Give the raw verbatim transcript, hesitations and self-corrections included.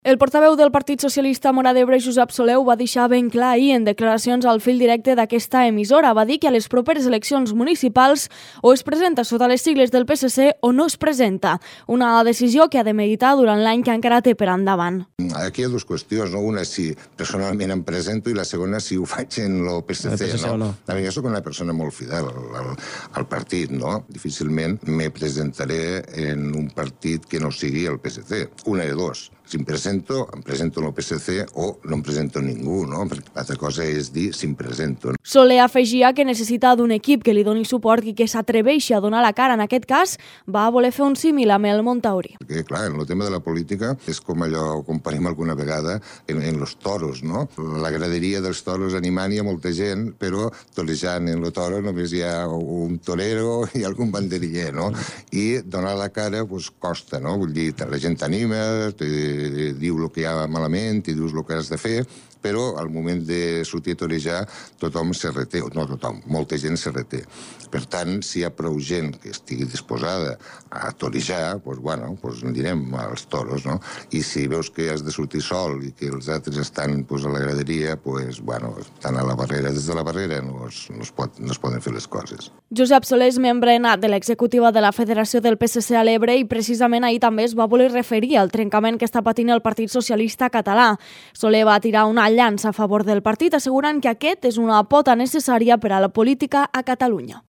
El portaveu del Partit Socialista Móra d'Ebre, Josep Soler, ho va deixar ben clar ahir en declaracions al fil directe d'aquesta emissora. Va dir que a les properes eleccions municipals o es presenta sota les sigles del P S C o no es presenta. Una decisió que ha de meditar durant l'any que encara té per endavant. Aquí hi ha dues qüestions, no? Una si personalment em presento i la segona si ho faig en el P S C. P S C no? no? A mi, jo soc una persona molt fidel al, al, al partit, no? Difícilment me presentaré en un partit que no sigui el P S C. Una de dos. Si em presento, em presento en el P S C o no em presento ningú, no? Perquè l'altra cosa és dir si em presento. Soler afegia que necessita d'un equip que li doni suport i que s'atreveixi a donar la cara. En aquest cas, va voler fer un símil amb el Montauri. Perquè, clar, en el tema de la política és com allò, comparim alguna vegada en, en los toros, no? La graderia dels toros animant hi ha molta gent, però torejant en el toro només hi ha un torero i algun banderiller, no? I donar la cara, doncs, costa, no? Vull dir, la gent t'anima, diu el que hi ha malament, i dius el que has de fer, però al moment de sortir a torejar tothom se reté, no tothom, molta gent se reté. Per tant, si hi ha prou gent que estigui disposada a torejar, doncs, bueno, doncs anirem als toros, no? I si veus que has de sortir sol i que els altres estan doncs, a la graderia, doncs, bueno, estan a la barrera. Des de la barrera no es, no es, pot, no es poden fer les coses. Josep Soler és membre nat de l'executiva de la Federació del P S C a l'Ebre i precisament ahir també es va voler referir al trencament que està patint el Partit Socialista català. Soler va tirar una llança a favor del partit, assegurant que aquest és una pota necessària per a la política a Catalunya.